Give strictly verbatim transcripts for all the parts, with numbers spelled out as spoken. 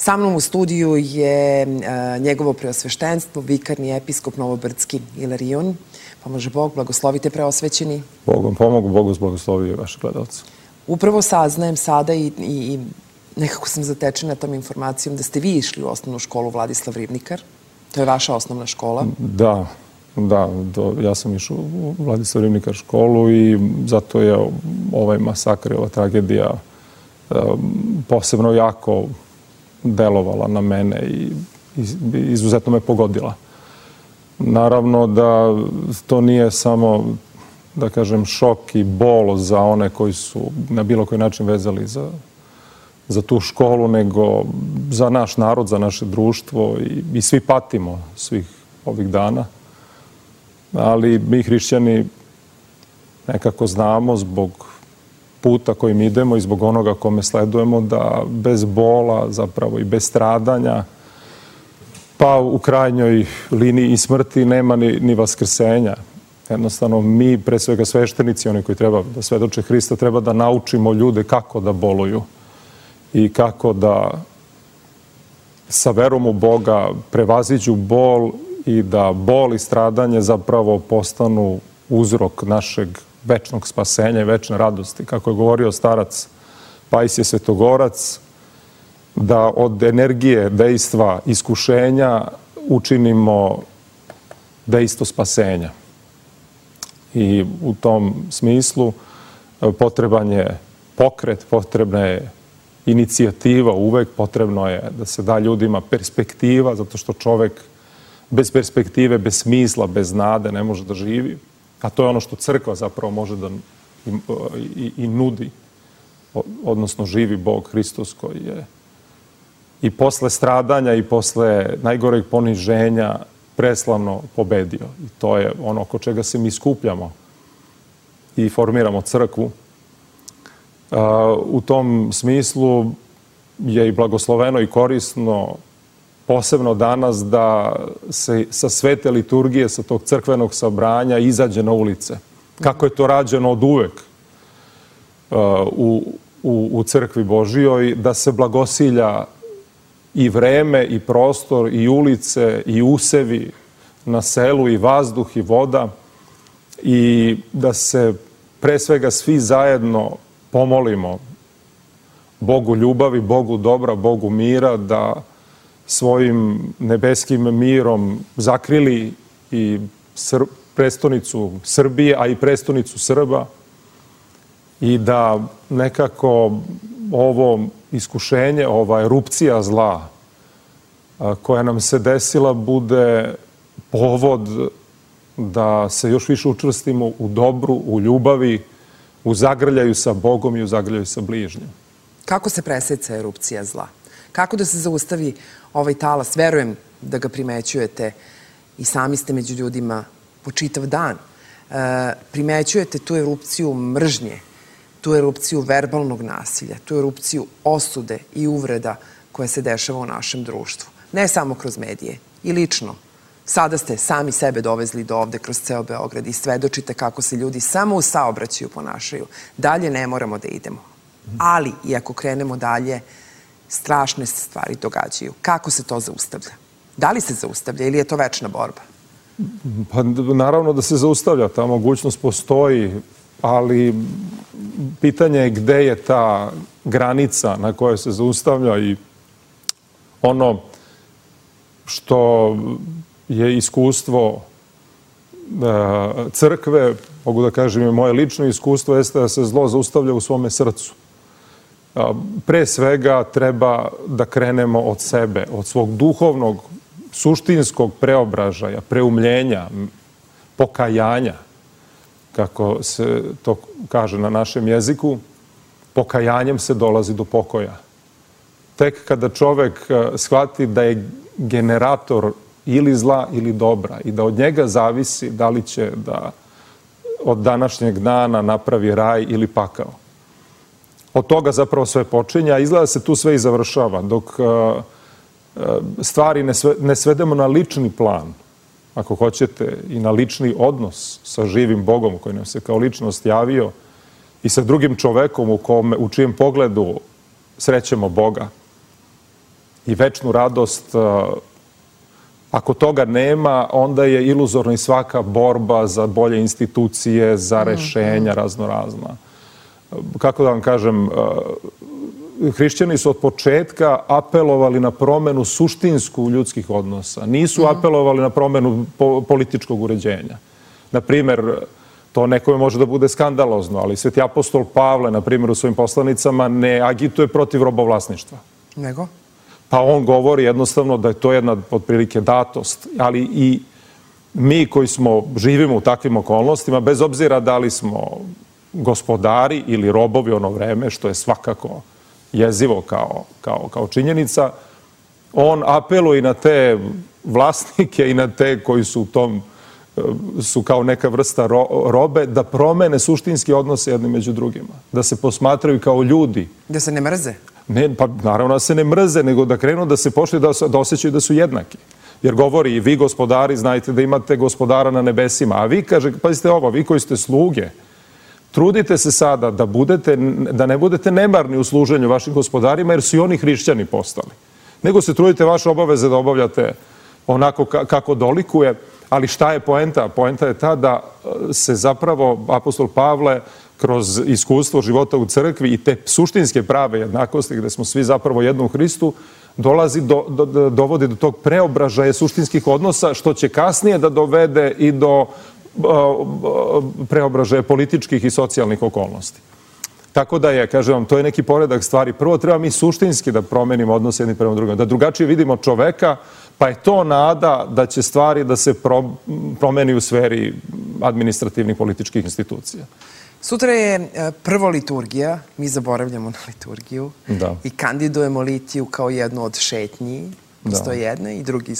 Sa mnom u studiju je njegovo preosveštenstvo, vikarni episkop Novobrdski Ilarion. Pomože Bog, blagoslovite preosvećeni. Bogom pomogu, Bogu blagoslovio vaše gledalce. Upravo saznajem sada i, i nekako sam zatečena tom informacijom da ste vi išli u osnovnu školu Vladislav Ribnikar. To je vaša osnovna škola. Da, da. Do, ja sam išao u Vladislav Ribnikar školu i zato je ovaj masakr i ova tragedija um, posebno jako delovala na mene i izuzetno me pogodila. Naravno da to nije samo, da kažem, šok i bol za one koji su na bilo koji način vezali za, za tu školu, nego za naš narod, za naše društvo i, i svi patimo svih ovih dana. Ali mi hrišćani nekako znamo zbog puta kojim idemo i zbog onoga kome sledujemo da bez bola zapravo i bez stradanja pa u krajnjoj liniji i smrti nema ni, ni vaskrsenja. Jednostavno mi, pre svega sveštenici, oni koji treba da svedoče Hrista, treba da naučimo ljude kako da boluju i kako da sa verom u Boga prevaziđu bol i da bol i stradanje zapravo postanu uzrok našeg večnog spasenja i večne radosti. Kako je govorio starac Pajsije Svetogorac, da od energije, dejstva, iskušenja učinimo dejstvo spasenja. I u tom smislu potreban je pokret, potrebna je inicijativa uvek, potrebno je da se da ljudima perspektiva, zato što čovek bez perspektive, bez smisla, bez nade ne može da živi. A to je ono što crkva zapravo može da i, i, i nudi, odnosno živi Bog Hristos koji je i posle stradanja i posle najgoreg poniženja preslavno pobedio. I to je ono oko čega se mi skupljamo i formiramo crkvu. U tom smislu je i blagosloveno i korisno posebno danas da se sa svete liturgije, sa tog crkvenog sabranja izađe na ulice. Kako je to rađeno od uvek u, u, u crkvi Božijoj, da se blagosilja i vreme, i prostor, i ulice, i usevi na selu, i vazduh, i voda, i da se pre svega svi zajedno pomolimo Bogu ljubavi, Bogu dobra, Bogu mira, da svojim nebeskim mirom zakrili i Sr- prestonicu Srbije, a i prestonicu Srba i da nekako ovo iskušenje, ova erupcija zla koja nam se desila bude povod da se još više učvrstimo u dobru, u ljubavi, u zagrljaju sa Bogom i u zagrljaju sa bližnjim. Kako se preseca erupcija zla? Kako da se zaustavi ovaj talas? Verujem da ga primećujete i sami ste među ljudima po čitav dan. E, primećujete tu erupciju mržnje, tu erupciju verbalnog nasilja, tu erupciju osude i uvreda koja se dešava u našem društvu. Ne samo kroz medije, i lično. Sada ste sami sebe dovezli do ovde kroz ceo Beograd i svedočite kako se ljudi samo u saobraćaju ponašaju. Dalje ne moramo da idemo. Ali, i ako krenemo dalje, strašne se stvari događaju. Kako se to zaustavlja? Da li se zaustavlja ili je to večna borba? Pa naravno da se zaustavlja. Ta mogućnost postoji, ali pitanje je gde je ta granica na kojoj se zaustavlja i ono što je iskustvo crkve, mogu da kažem i moje lično iskustvo, jeste da se zlo zaustavlja u svome srcu. Pre svega treba da krenemo od sebe, od svog duhovnog, suštinskog preobražaja, preumljenja, pokajanja, kako se to kaže na našem jeziku. Pokajanjem se dolazi do pokoja. Tek kada čovek shvati da je generator ili zla ili dobra i da od njega zavisi da li će da od današnjeg dana napravi raj ili pakao. Od toga zapravo sve počinja, a izgleda se tu sve i završava. Dok stvari ne svedemo na lični plan, ako hoćete, i na lični odnos sa živim Bogom koji nam se kao ličnost javio i sa drugim čovekom u, kome, u čijem pogledu srećemo Boga, i večnu radost. Ako toga nema, onda je iluzorna i svaka borba za bolje institucije, za rešenja raznorazna. Kako da vam kažem, hrišćani su od početka apelovali na promenu suštinsku ljudskih odnosa. Nisu apelovali na promenu političkog uređenja. Na primjer, to nekome može da bude skandalozno, ali sveti apostol Pavle, na primjer, u svojim poslanicama ne agituje protiv robovlasništva. Nego? Pa on govori jednostavno da je to jedna otprilike datost, ali i mi koji smo, živimo u takvim okolnostima, bez obzira da li smo gospodari ili robovi ono vreme, što je svakako jezivo kao, kao, kao činjenica, on apeluje i na te vlasnike i na te koji su u tom, su kao neka vrsta ro, robe, da promene suštinski odnose jedni među drugima, da se posmatraju kao ljudi. Da se ne mrze? Ne, pa naravno da se ne mrze, nego da krenu da se počne da, da osjećaju da su jednaki. Jer govori, i vi gospodari znajte da imate gospodara na nebesima, a vi, kaže, pazite ovo, vi koji ste sluge, trudite se sada da, budete, da ne budete nemarni u služenju vašim gospodarima, jer su i oni hrišćani postali. Nego se trudite vaše obaveze da obavljate onako kako dolikuje, ali šta je poenta? Poenta je ta da se zapravo apostol Pavle kroz iskustvo života u crkvi i te suštinske prave jednakosti, gde smo svi zapravo jedno u Hristu, dolazi do, do, dovodi do tog preobražaja suštinskih odnosa, što će kasnije da dovede i do preobražaja političkih i socijalnih okolnosti. Tako da je, kažem vam, to je neki poredak stvari. Prvo treba mi suštinski da promenimo odnos jedni prema drugim, da drugačije vidimo čoveka, pa je to nada da će stvari da se pro, promeni u sferi administrativnih političkih institucija. Sutra je prvo liturgija, mi zaboravljamo na liturgiju da. I kandidujemo litiju kao jednu od šetnji. Postoje da. jedna i drugi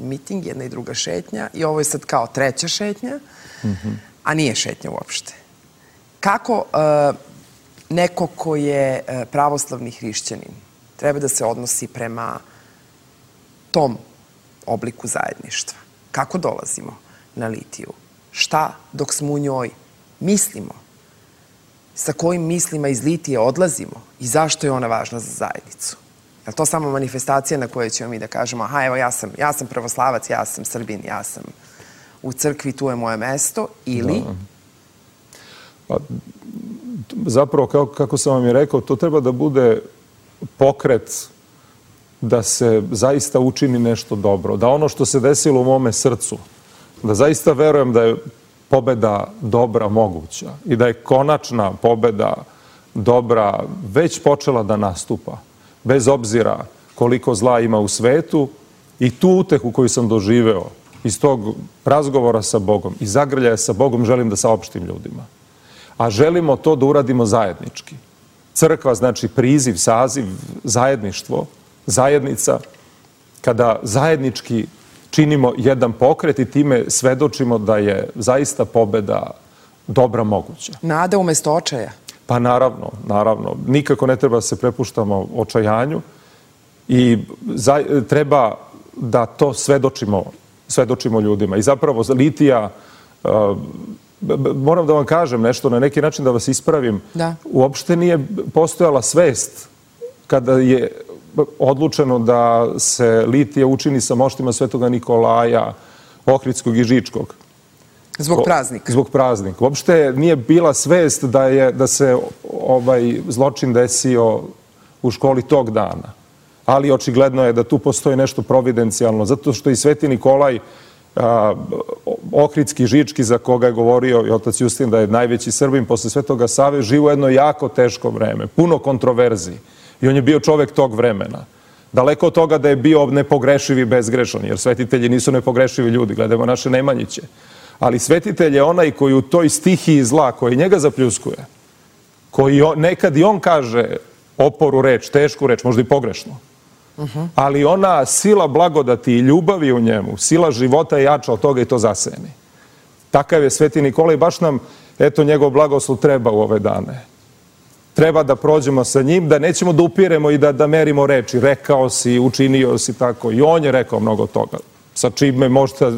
miting, jedna i druga šetnja i ovo je sad kao treća šetnja, mm-hmm. a nije šetnja uopšte. Kako uh, neko ko je uh, pravoslavni hrišćanin treba da se odnosi prema tom obliku zajedništva? Kako dolazimo na litiju? Šta dok smo u njoj mislimo? Sa kojim mislima iz litije odlazimo i zašto je ona važna za zajednicu? Je li to samo manifestacija na kojoj ćemo mi da kažemo aha, evo ja sam, ja sam pravoslavac, ja sam Srbin, ja sam u crkvi, tu je moje mesto, ili... Da. Pa, zapravo, kako, kako sam vam i rekao, to treba da bude pokret da se zaista učini nešto dobro. Da ono što se desilo u mome srcu, da zaista verujem da je pobeda dobra moguća i da je konačna pobeda dobra već počela da nastupa. Bez obzira koliko zla ima u svetu i tu utehu koju sam doživeo iz tog razgovora sa Bogom i zagrljaja sa Bogom želim da saopštim ljudima. A želimo to da uradimo zajednički. Crkva znači priziv, saziv, zajedništvo, zajednica, kada zajednički činimo jedan pokret i time svedočimo da je zaista pobeda dobra moguća. Nada umesto očaja? Pa naravno, naravno. Nikako ne treba da se prepuštamo očajanju i za, treba da to svedočimo, svedočimo ljudima. I zapravo litija, uh, moram da vam kažem nešto, na neki način da vas ispravim, da. Uopšte nije postojala svest kada je odlučeno da se litija učini sa moštima Svetoga Nikolaja, Ohridskog i Žičkog. Zbog praznika. Zbog praznika. Uopšte nije bila svest da, je, da se ovaj zločin desio u školi tog dana. Ali očigledno je da tu postoji nešto providencijalno, zato što i Sveti Nikolaj, a, Ohridski, Žički, za koga je govorio i otac Justin da je najveći Srbin posle Svetoga Save, živo jedno jako teško vreme, puno kontroverziji. I on je bio čovek tog vremena. Daleko od toga da je bio nepogrešiv i bezgrešan, jer svetitelji nisu nepogrešivi ljudi, gledamo naše Nemanjiće. Ali svetitelj je onaj koji u toj stihiji zla, koji njega zapljuskuje, koji on, nekad i on kaže oporu reč, tešku reč, možda i pogrešno. Uh-huh. Ali ona sila blagodati i ljubavi u njemu, sila života je jača od toga i to zaseni. Takav je Sveti Nikola i baš nam, eto, njegov blagoslov treba u ove dane. Treba da prođemo sa njim, da nećemo da upiremo i da, da merimo reči. Rekao si, učinio si tako. I on je rekao mnogo toga. Sa čime možda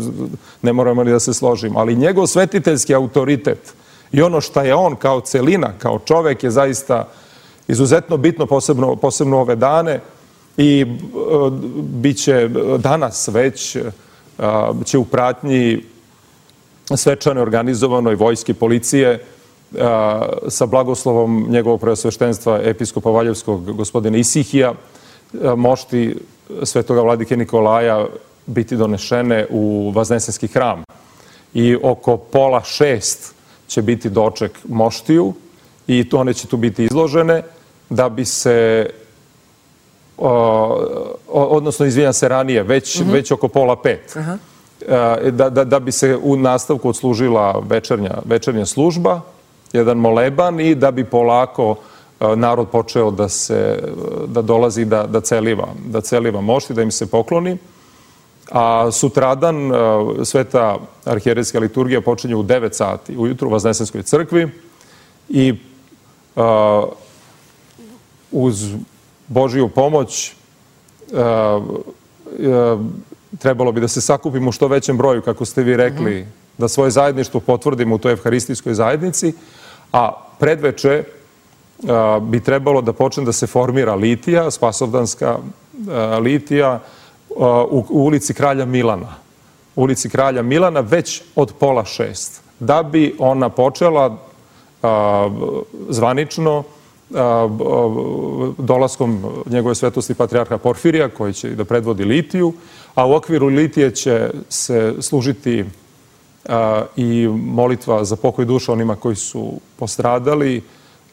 ne moramo ni da se složimo. Ali njegov svetiteljski autoritet i ono što je on kao celina, kao čovek je zaista izuzetno bitno, posebno, posebno ove dane. i bit će danas već će u pratnji svečane organizovanoj vojske policije sa blagoslovom njegovog preosveštenstva episkopa Valjevskog gospodina Isihija mošti svetoga vladike Nikolaja biti donešene u Vaznesenski hram. I oko pola šest će biti doček moštiju i one će tu biti izložene da bi se, odnosno izvinjam se ranije, već, mm-hmm. već oko pola pet. Uh-huh. Da, da, da bi se u nastavku odslužila večernja, večernja služba, jedan moleban i da bi polako narod počeo da se, da dolazi da, da celiva, da celiva mošti, da im se pokloni. A sutradan sveta arhijerejska liturgija počinje u devet sati ujutru u Vaznesenskoj crkvi i uh, uz Božiju pomoć uh, uh, trebalo bi da se sakupimo u što većem broju, kako ste vi rekli, mm-hmm. da svoje zajedništvo potvrdimo u toj evharistijskoj zajednici, a predveče uh, bi trebalo da počne da se formira litija, spasovdanska uh, litija, U, u ulici Kralja Milana. U ulici Kralja Milana već od pola šest. Da bi ona počela a, zvanično a, dolaskom njegove svetosti patrijarha Porfirija, koji će da predvodi litiju, a u okviru litije će se služiti a, i molitva za pokoj duša onima koji su postradali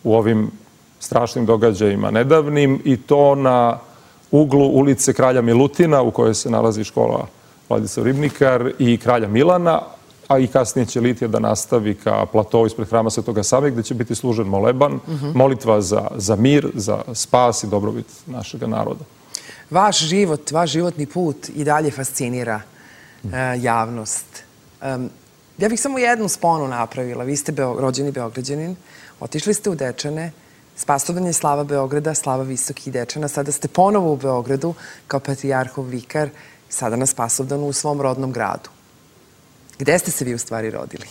u ovim strašnim događajima nedavnim, i to na uglu ulice Kralja Milutina, u kojoj se nalazi škola Vladislav Ribnikar, i Kralja Milana, a i kasnije će litija da nastavi ka platovu ispred hrama Svetoga Save, gde će biti služen moleban, mm-hmm. molitva za, za mir, za spas i dobrobit našeg naroda. Vaš život, vaš životni put i dalje fascinira uh, javnost. Um, ja bih samo jednu sponu napravila. Vi ste beo, rođeni Beograđanin, otišli ste u Dečane, Spasovdan je slava Beograda, slava Visokih Dečana. Sada ste ponovo u Beogradu kao patrijarhov vikar, sada na Spasovdanu u svom rodnom gradu. Gde ste se vi u stvari rodili?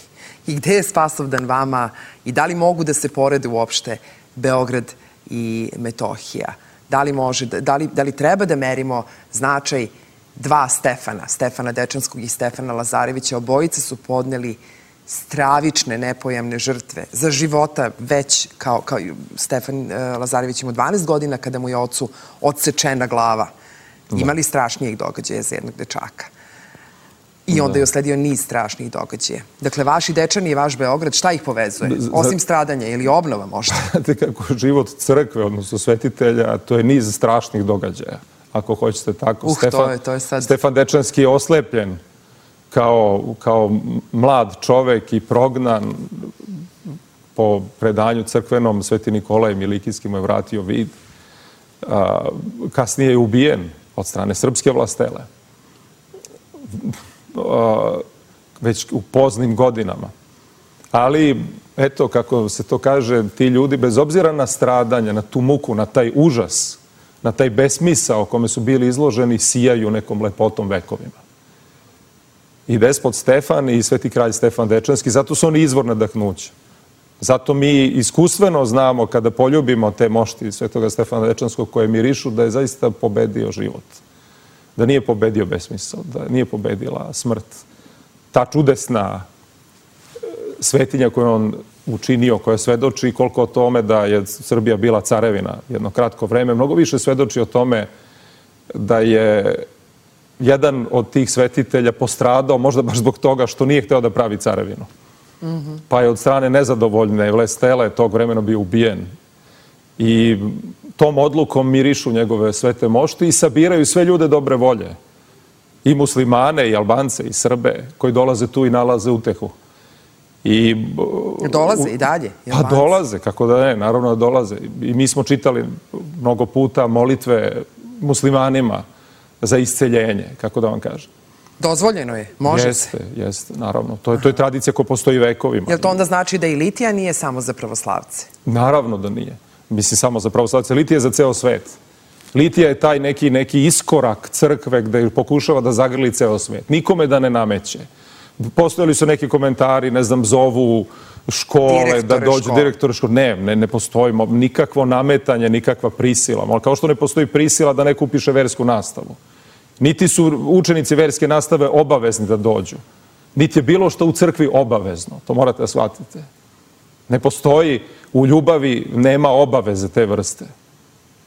I gde je Spasovdan vama? I da li mogu da se porede uopšte Beograd i Metohija? Da li, može, da li, da li treba da merimo značaj dva Stefana, Stefana Dečanskog i Stefana Lazarevića? Obojice su podneli stravične, nepojamne žrtve za života, već kao, kao Stefan Lazarević ima dvanaest godina kada mu je ocu odsečena glava. Imali strašnijeg događaja za jednog dečaka. I onda je usledio niz strašnih događaja. Dakle, vaši Dečani i vaš Beograd, šta ih povezuje? Osim stradanja ili obnova možda? Znate kako život crkve, odnosno svetitelja, to je niz strašnih događaja. Ako hoćete tako. Uh, Stefan, to je, to je sad... Stefan Dečanski je oslepljen kao, kao mlad čovek i prognan. Po predanju crkvenom Sveti Nikolaj Milikijski mu je vratio vid. A, kasnije je ubijen od strane srpske vlastele. A, već u poznim godinama. Ali, eto, kako se to kaže, ti ljudi, bez obzira na stradanja, na tu muku, na taj užas, na taj besmisao kome su bili izloženi, sijaju nekom lepotom vekovima. I despot Stefan i sveti kralj Stefan Dečanski, zato su oni izvor nadahnuća. Zato mi iskustveno znamo, kada poljubimo te mošti svetoga Stefana Dečanskog koje mirišu, da je zaista pobedio život. Da nije pobedio besmisao, da nije pobedila smrt. Ta čudesna svetinja koju on učinio, koja svedoči koliko o tome da je Srbija bila carevina jedno kratko vreme, mnogo više svedoči o tome da je jedan od tih svetitelja postradao, možda baš zbog toga što nije hteo da pravi carevinu. Mm-hmm. Pa je od strane nezadovoljne vlastele tog vremena bio ubijen. I tom odlukom mirišu njegove svete mošti i sabiraju sve ljude dobre volje. I muslimane, i Albance, i Srbe, koji dolaze tu i nalaze utehu. I, dolaze i dalje? Pa dolaze, kako da ne, naravno da dolaze. I mi smo čitali mnogo puta molitve muslimanima za isceljenje, kako da vam kažem. Dozvoljeno je, može jeste, se. Jeste, jeste, naravno. To je, to je tradicija koja postoji vekovima. Jel to onda znači da i litija nije samo za pravoslavce? Naravno da nije. Mislim, samo za pravoslavce. Litija je za ceo svet. Litija je taj neki, neki iskorak crkve gde pokušava da zagrli ceo svet. Nikome da ne nameće. Postojali su neki komentari, ne znam, zovu škole, da dođu direktore škole. Ne, ne, ne postoji nikakvo nametanje, nikakva prisila. Kao što ne postoji prisila da neko upiše versku nastavu. Niti su učenici verske nastave obavezni da dođu. Niti je bilo što u crkvi obavezno. To morate da shvatite. Ne postoji, u ljubavi nema obaveze te vrste.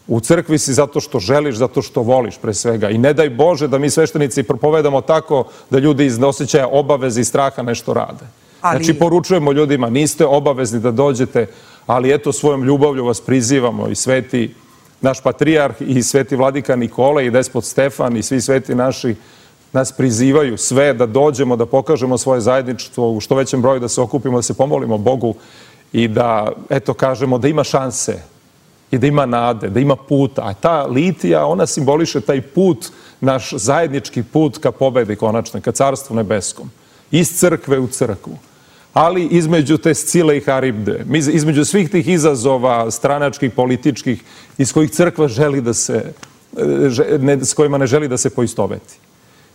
U crkvi si zato što želiš, zato što voliš pre svega. I ne daj Bože da mi sveštenici propovedamo tako da ljudi iz osjećaja obaveze i straha nešto rade. Znači, poručujemo ljudima, niste obavezni da dođete, ali eto, svojom ljubavlju vas prizivamo i sveti naš patrijarh i sveti vladika Nikola i despot Stefan i svi sveti naši nas prizivaju sve da dođemo, da pokažemo svoje zajedništvo u što većem broju, da se okupimo, da se pomolimo Bogu i da, eto, kažemo da ima šanse i da ima nade, da ima puta. A ta litija, ona simboliše taj put, naš zajednički put ka pobedi konačne, ka carstvu nebeskom. Iz crkve u crkvu. Ali između te Scile i Haribde, između svih tih izazova stranačkih, političkih, iz kojih crkva želi da se, s kojima ne želi da se poistoveti.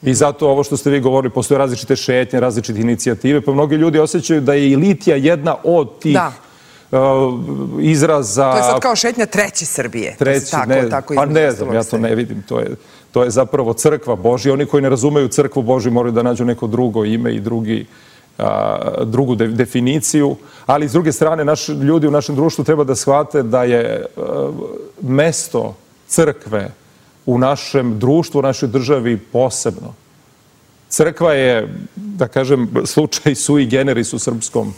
I zato ovo što ste vi govorili, postoje različite šetnje, različite inicijative, pa mnogi ljudi osjećaju da je i litija jedna od tih izraza... To je sad kao šetnja treće Srbije. Treći, ne, pa ne znam, ja to ne vidim. To je zapravo crkva Božja. Oni koji ne razumeju crkvu Božju moraju da nađu neko drugo ime i drugu definiciju. Ali s druge strane, naši ljudi u našem društvu treba da shvate da je mesto crkve u našem društvu, u našoj državi posebno. Crkva je, da kažem, slučaj sui generis u srpskom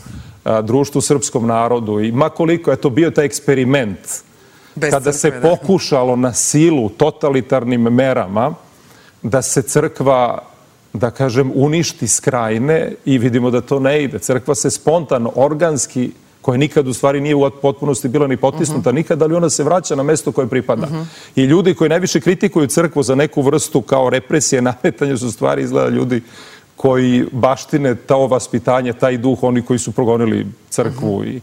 društvu, srpskom narodu. I makoliko je to bio taj eksperiment kada se pokušalo na silu totalitarnim merama da se crkva, da kažem, uništi s krajine i vidimo da to ne ide. Crkva se spontano, organski, koja nikad u stvari nije u potpunosti bila ni potisnuta nikad, ali ona se vraća na mesto koje pripada. I ljudi koji najviše kritikuju crkvu za neku vrstu kao represije, nametanje su stvari izgleda ljudi koji baštine to vaspitanje, taj duh, oni koji su progonili crkvu i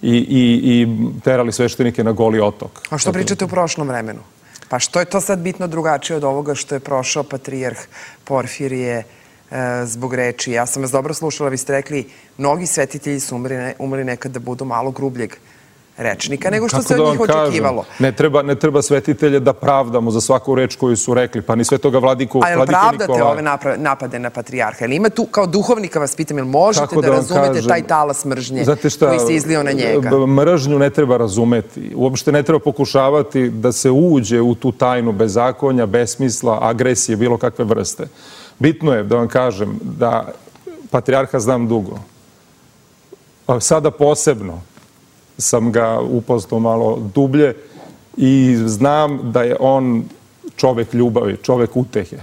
i terali sveštenike na Goli otok. A što pričate u prošlom vremenu? Pa što je to sad bitno drugačije od ovoga što je prošao patrijarh Porfirije zbog reči? Ja sam vas dobro slušala, vi ste rekli, mnogi svetitelji su umrli nekad da budu malo grubljeg rečnika nego što se od njih očekivalo. Ne treba svetitelje da pravdamo za svaku reč koju su rekli, pa ni svetoga vladike Nikolaja. A jel pravdate ove napade na patrijarha? Ili ima tu, kao duhovnika vas pitam, jel možete da razumete taj talas mržnje koji se izlio na njega? Mržnju ne treba razumeti. Uopšte ne treba pokušavati da se uđe u tu tajnu bezakonja, besmisla, agresije, bilo kakve vrste. Bitno je da vam kažem da patrijarha znam dugo. Sada posebno sam ga upoznao malo dublje i znam da je on čovek ljubavi, čovek utehe.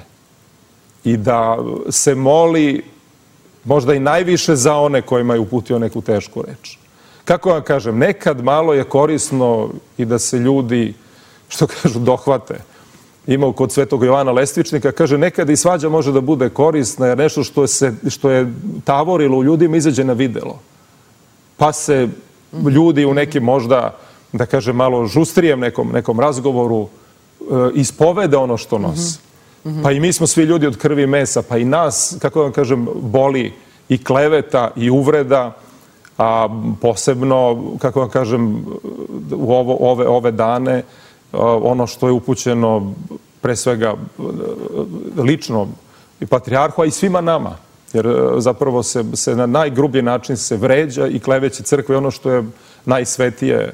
I da se moli možda i najviše za one kojima je uputio neku tešku reč. Kako vam kažem, nekad malo je korisno i da se ljudi, što kažu, dohvate. Imao kod svetog Jovana Lestvičnika, kaže, nekad i svađa može da bude korisna jer nešto što je tavorilo u ljudima izađe na videlo. Pa se ljudi u nekim možda, da kažem, malo žustrijem nekom razgovoru ispovede ono što nosi. Pa i mi smo svi ljudi od krvi i mesa, pa i nas, kako vam kažem, boli i kleveta i uvreda, a posebno, kako vam kažem, u ove dane, ono što je upućeno pre svega lično i patrijarhu, a i svima nama. Jer zapravo se na najgrublji način se vređa i kleveće crkve, ono što je najsvetije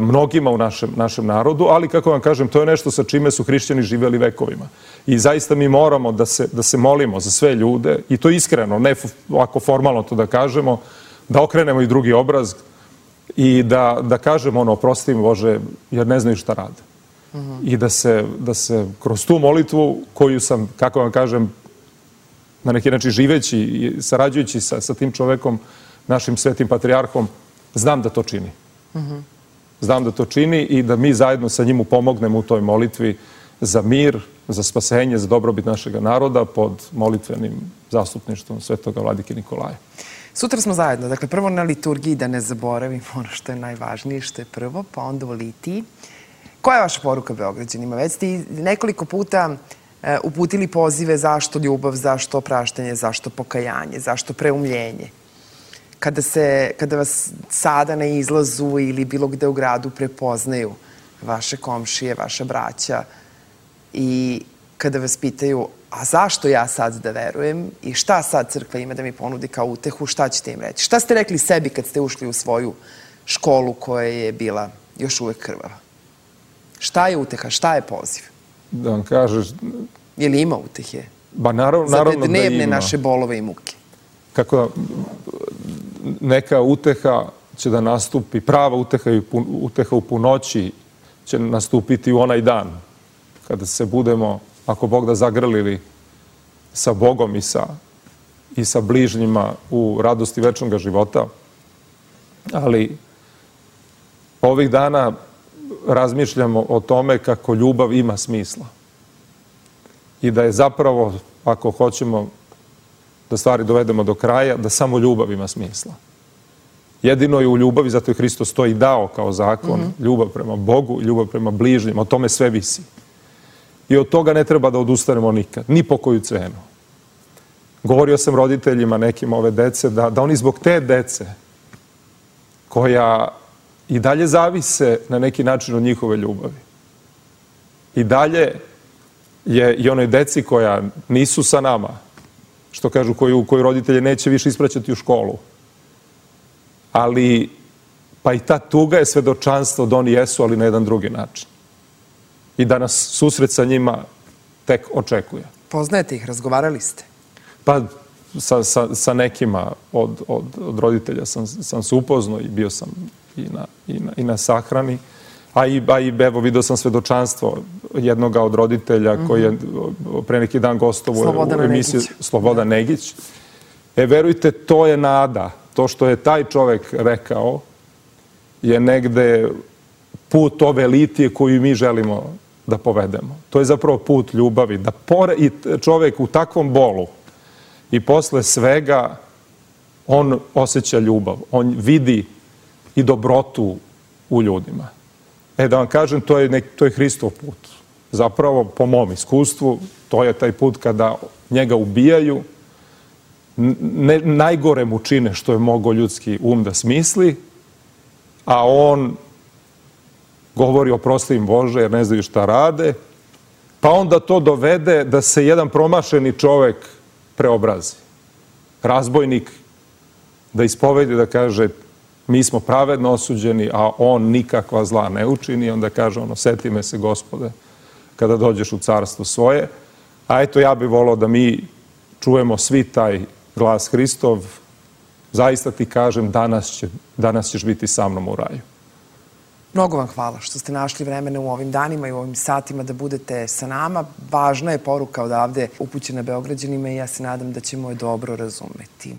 mnogima u našem narodu, ali kako vam kažem, to je nešto sa čime su hrišćani živjeli vekovima. I zaista mi moramo da se molimo za sve ljude, i to iskreno, ne ovako formalno to da kažemo, da okrenemo i drugi obraz i da kažemo ono, oprosti mi Bože, jer ne znaju šta rade. I da se kroz tu molitvu koju sam, kako vam kažem, na neki način živeći i sarađujući sa tim čovekom, našim svetim patrijarhom, znam da to čini. Znam da to čini i da mi zajedno sa njim pomognemo u toj molitvi za mir, za spasenje, za dobrobit našeg naroda pod molitvenim zastupništvom svetoga vladike Nikolaja. Sutra smo zajedno. Dakle, prvo na liturgiji, da ne zaboravimo ono što je najvažnije, što je prvo, pa onda u litiji. Koja je vaša poruka Beograđanima? Već ste nekoliko puta uputili pozive zašto ljubav, zašto opraštanje, zašto pokajanje, zašto preumljenje. Kada, se, kada vas sada na izlazu ili bilo gde u gradu prepoznaju vaše komšije, vaša braća i kada vas pitaju a zašto ja sad da verujem i šta sad crkva ima da mi ponudi kao utehu, šta ćete im reći? Šta ste rekli sebi kad ste ušli u svoju školu koja je bila još uvek krvava? Šta je uteha, šta je poziv? Da vam kažeš... Je li ima utehe? Ba naravno, naravno da ima. Za te dnevne naše bolove i muke. Kako da... Neka uteha će da nastupi, prava uteha i uteha u punoći će nastupiti u onaj dan kada se budemo, ako Bog da, zagrlili sa Bogom i sa, i sa bližnjima u radosti večnog života. Ali ovih dana razmišljamo o tome kako ljubav ima smisla. I da je zapravo, ako hoćemo da stvari dovedemo do kraja, da samo ljubav ima smisla. Jedino je u ljubavi, zato je Hristos to i dao kao zakon, mm-hmm. ljubav prema Bogu, ljubav prema bližnjima, o tome sve visi. I od toga ne treba da odustanemo nikad, ni po koju cenu. Govorio sam roditeljima nekim ove dece da, da oni zbog te dece koja i dalje zavise na neki način od njihove ljubavi. I dalje je i onoj deci koja nisu sa nama, što kažu, koju, koju roditelje neće više ispraćati u školu. Ali, pa i ta tuga je svedočanstvo da oni jesu, ali na jedan drugi način. I da nas susret sa njima tek očekuje. Poznajete ih, razgovarali ste? Pa sa, sa, sa nekima od, od, od roditelja sam, sam se upoznao i bio sam i na, i na, i na sahrani. A i, a i evo, vidio sam svedočanstvo jednoga od roditelja mm-hmm. koji je pre neki dan gostovao u emisiji Slobodan Negić. E, verujte, to je nada. To što je taj čovek rekao je negde put ove litije koju mi želimo da povedemo. To je zapravo put ljubavi. Da pore, i čovek u takvom bolu i posle svega on osjeća ljubav. On vidi i dobrotu u ljudima. E, da vam kažem, to je, nek, to je Hristov put. Zapravo, po mom iskustvu, to je taj put kada njega ubijaju, ne, najgore mu čine što je mogao ljudski um da smisli, a on govori oprosti im Bože jer ne znaju šta rade, pa onda to dovede da se jedan promašeni čovek preobrazi. Razbojnik da ispovedi, da kaže mi smo pravedno osuđeni, a on nikakva zla ne učini. Onda kaže ono, seti me se, Gospode, kada dođeš u carstvo svoje. A eto, ja bih volao da mi čujemo svi taj glas Hristov. Zaista ti kažem, danas, će, danas ćeš biti sa mnom u raju. Mnogo vam hvala što ste našli vremena u ovim danima i u ovim satima da budete sa nama. Važna je poruka odavde upućena Beograđanima i ja se nadam da ćemo je dobro razumeti.